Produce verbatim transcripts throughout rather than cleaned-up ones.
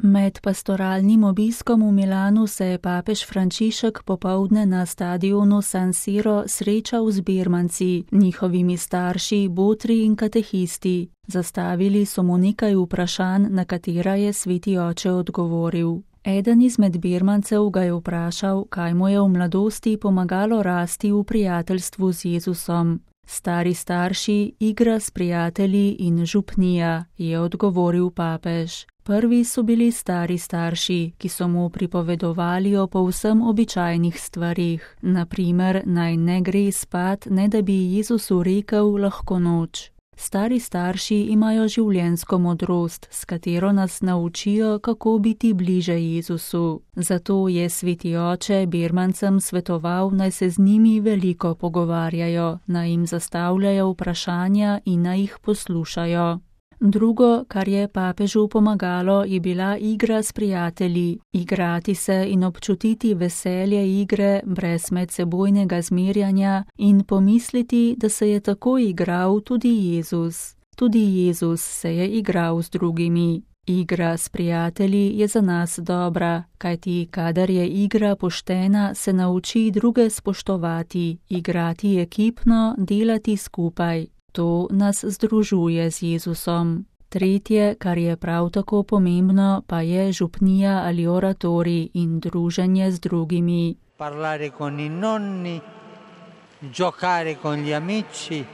Med pastoralnim obiskom v Milanu se je papež Frančišek popoldne na stadionu San Siro srečal z birmanci, njihovimi starši, botri in katehisti. Zastavili so mu nekaj vprašanj, na katera je sveti oče odgovoril. Eden izmed birmancev ga je vprašal, kaj mu je v mladosti pomagalo rasti v prijateljstvu z Jezusom. Stari starši, igra s prijatelji in župnija, je odgovoril papež. Prvi so bili stari starši, ki so mu pripovedovali o povsem običajnih stvarih, na primer, naj ne gre spat, ne da bi Jezusu rekel lahko noč. Stari starši imajo življenjsko modrost, s katero nas naučijo, kako biti bliže Jezusu. Zato je sveti oče birmancem svetoval, naj se z njimi veliko pogovarjajo, naj jim zastavljajo vprašanja in naj jih poslušajo. Drugo, kar je papežu pomagalo, je bila igra s prijatelji. Igrati se in občutiti veselje igre brez medsebojnega zmerjanja in pomisliti, da se je tako igral tudi Jezus. Tudi Jezus se je igral z drugimi. Igra s prijatelji je za nas dobra, kajti kadar je igra poštena, se nauči druge spoštovati, igrati ekipno, delati skupaj. To nas združuje z Jezusom. Tretje, kar je prav tako pomembno, pa je župnija ali oratorij in druženje z drugimi. Parlare con i nonni, giocare con gli amici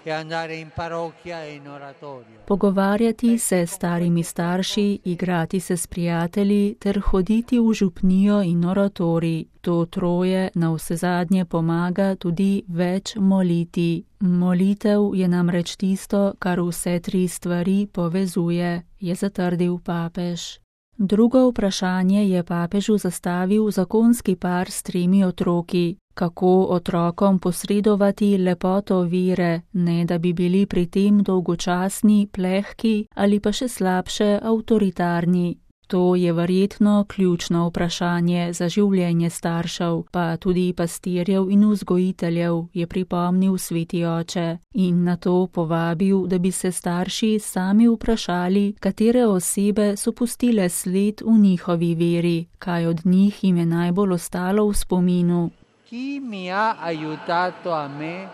e andare in parrocchia e in oratorio. Pogovarjati se s starimi starši, igrati se s prijatelji ter hoditi v župnijo in oratorij. To troje navsezadnje pomaga tudi več moliti. Molitev je namreč tisto, kar vse tri stvari povezuje, je zatrdil papež. Drugo vprašanje je papežu zastavil zakonski par s tremi otroki. Kako otrokom posredovati lepoto vere, ne da bi bili pri tem dolgočasni, plehki ali pa še slabše avtoritarni. To je verjetno ključno vprašanje za življenje staršev, pa tudi pastirjev in vzgojiteljev, je pripomnil sveti oče in na to povabil, da bi se starši sami vprašali, katere osebe so pustile sled v njihovi veri, kaj od njih jim je najbolj ostalo v spominu. Chi mi ha aiutato a me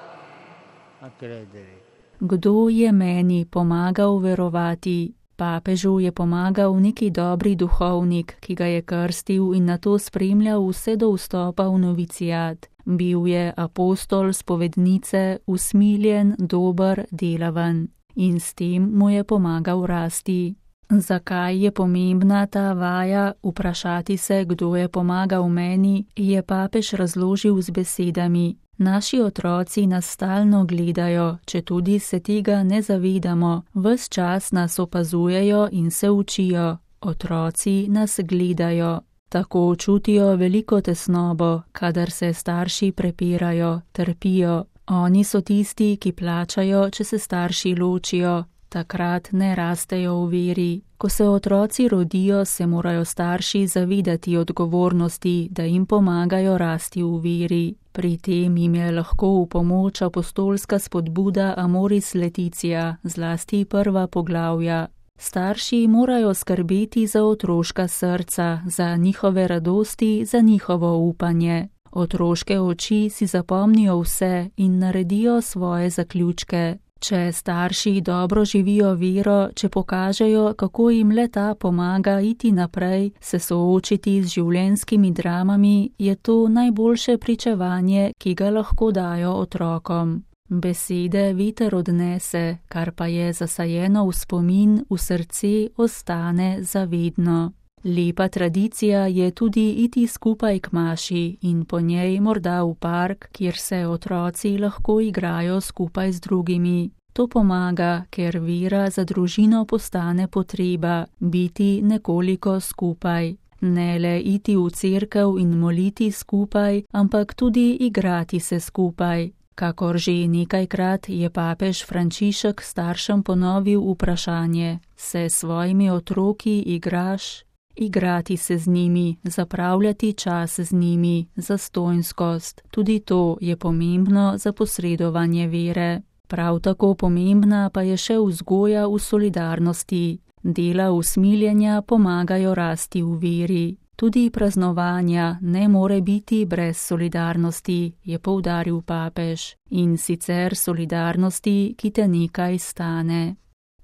a credere? Kdo je meni pomagal verovati? Papežu je pomagal neki dobri duhovnik, ki ga je krstil in nato spremljal vse do vstopa v novicijat. Bil je apostol spovednice, usmiljen, dober, delaven in s tem mu je pomagal rasti. Zakaj je pomembna ta vaja, vprašati se, kdo je pomagal meni, je papež razložil z besedami. Naši otroci nas stalno gledajo, četudi se tega ne zavedamo, ves čas nas opazujejo in se učijo. Otroci nas gledajo. Tako čutijo veliko tesnobo, kadar se starši prepirajo, trpijo. Oni so tisti, ki plačajo, če se starši ločijo. Takrat ne rastejo v veri. Ko se otroci rodijo, se morajo starši zavedati odgovornosti, da jim pomagajo rasti v veri. Pri tem jim je lahko v pomoč apostolska spodbuda Amoris Laetitia, zlasti prva poglavja. Starši morajo skrbeti za otroška srca, za njihove radosti, za njihovo upanje. Otroške oči si zapomnijo vse in naredijo svoje zaključke. Če starši dobro živijo vero, če pokažejo, kako jim le-ta pomaga iti naprej, se soočiti z življenjskimi dramami, je to najboljše pričevanje, ki ga lahko dajo otrokom. Besede veter odnese, kar pa je zasajeno v spomin, v srce ostane zavedno. Lepa tradicija je tudi iti skupaj k maši in po njej morda v park, kjer se otroci lahko igrajo skupaj z drugimi. To pomaga, ker vera za družino postane potreba, biti nekoliko skupaj. Ne le iti v cerkev in moliti skupaj, ampak tudi igrati se skupaj. Kakor že nekajkrat je papež Frančišek staršem ponovil vprašanje: se svojimi otroki igraš? Igrati se z njimi, zapravljati čas z njimi, zastonjskost. Tudi to je pomembno za posredovanje vere. Prav tako pomembna pa je še vzgoja v solidarnosti. Dela usmiljenja pomagajo rasti v veri. Tudi praznovanja ne more biti brez solidarnosti, je poudaril papež, in sicer solidarnosti, ki te nekaj stane.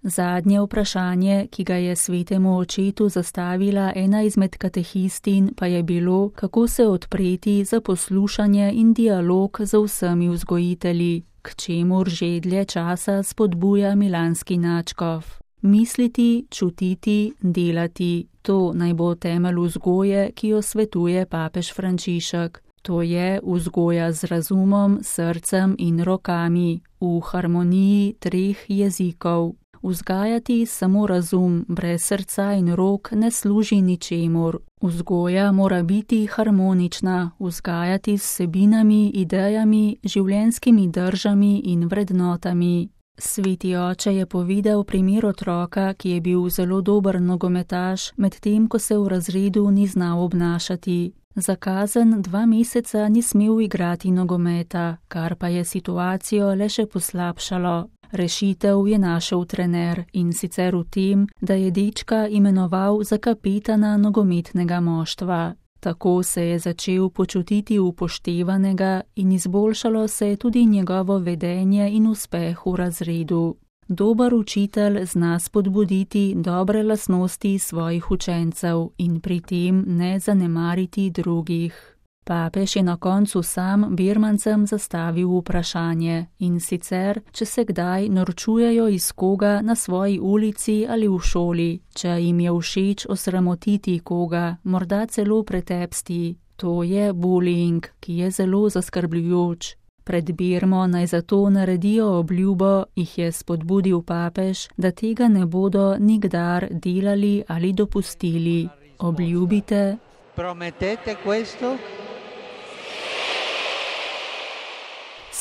Zadnje vprašanje, ki ga je svetemu očetu zastavila ena izmed katehistin, pa je bilo, kako se odpreti za poslušanje in dialog z vsemi vzgojitelji, k čemur že dlje časa spodbuja milanski nadškof. Misliti, čutiti, delati, to naj bo temelj vzgoje, ki jo svetuje papež Frančišek. To je vzgoja z razumom, srcem in rokami, v harmoniji treh jezikov. Vzgajati samo razum, brez srca in rok ne služi ničemur. Vzgoja mora biti harmonična, vzgajati s vsebinami, idejami, življenjskimi držami in vrednotami. Sveti oče je povedal primer otroka, ki je bil zelo dober nogometaš, medtem ko se v razredu ni znal obnašati. Za kazen dva meseca ni smel igrati nogometa, kar pa je situacijo le še poslabšalo. Rešitev je našel trener, in sicer v tem, da je dečka imenoval za kapetana nogometnega moštva. Tako se je začel počutiti upoštevanega in izboljšalo se je tudi njegovo vedenje in uspeh v razredu. Dober učitelj zna spodbuditi dobre lastnosti svojih učencev in pri tem ne zanemariti drugih. Papež je na koncu sam birmancem zastavil vprašanje, in sicer, če se kdaj norčujejo iz koga na svoji ulici ali v šoli, če jim je všeč osramotiti koga, morda celo pretepsti. To je bullying, ki je zelo zaskrbljujoč. Pred Birmo naj zato naredijo obljubo, jih je spodbudil papež, da tega ne bodo nikdar delali ali dopustili. Obljubite. Prometete questo?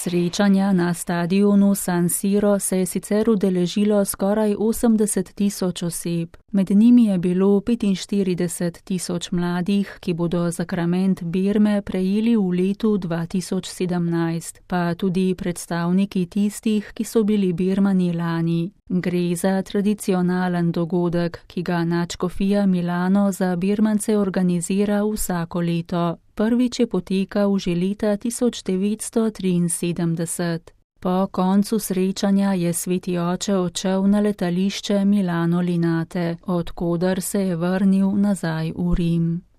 Srečanja na stadionu San Siro se je sicer udeležilo skoraj osemdeset tisoč oseb. Med njimi je bilo petinštirideset tisoč mladih, ki bodo zakrament Birme prejeli v letu dva tisoč sedemnajst, pa tudi predstavniki tistih, ki so bili Birmani lani. Gre za tradicionalen dogodek, ki ga nadškofija Milano za Birmance organizira vsako leto. Prvič je potekal že leta tisoč devetsto triinsedemdeset. Po koncu srečanja je sveti oče odšel na letališče Milano Linate, od koder se je vrnil nazaj v Rim.